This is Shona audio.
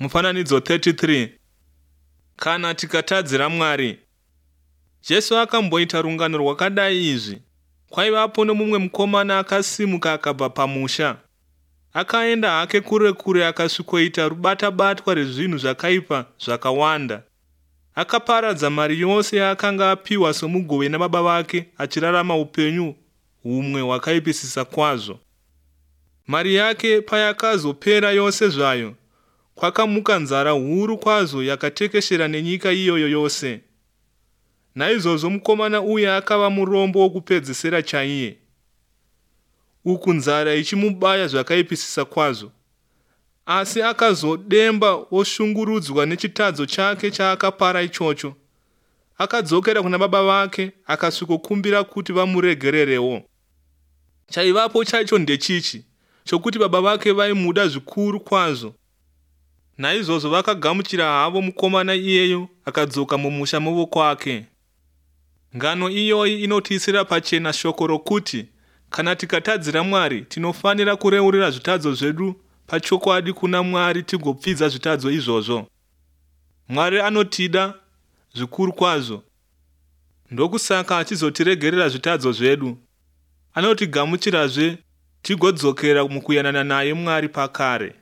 Mufananidzo 33. Kana tikatadzira Mwari. Jesu akamboita rungano rwakadai izvi. Kwaivapo nomumwe mukomana akasimuka akabva pamusha. Akaenda hake kure kure akasvikoita rubata-batwa rezvinhu zvakaipa zvakawanda. Akaparadza mari yose yaakanga apiwa somugove nababa vake achirarama upenyu humwe hwakaipisisa kwazvo. Mari yake payakazopera yose zvayo, kwakamuka nzara huru kwazvo yakatekeshera nenyika iyoyo yose. Naizvozvo mukomana uya akava murombo wokupedzesera chaiye. Uku nzara ichimubaya zvakaipisisa kwazvo. Asi akazodemba oshungurudzwa nechitadzo chake chaakapara ichocho. Akadzokera kuna baba vake akasvikokumbira kuti vamuregererewo. Chaivapo chacho ndechichi chokuti baba vake vaimuda zvikuru kwazvo. Naizvozvo vakagamuchira havo mukomana iyeyo akadzoka mumusha movokwake. Ngano iyoyi inotiisira pachena shoko rokuti kana tikatadzira Mwari tinofanira kureurira zvitadzo zvedu pachokwadi kuna Mwari tigopfidza zvitadzo izvozvo. Mwari anotida zvikuru kwazvo. Ndokusaka achizotiregerera zvitadzo zvedu. Anotigamuchirazve tigodzokera mukuyanana naye Mwari pakare.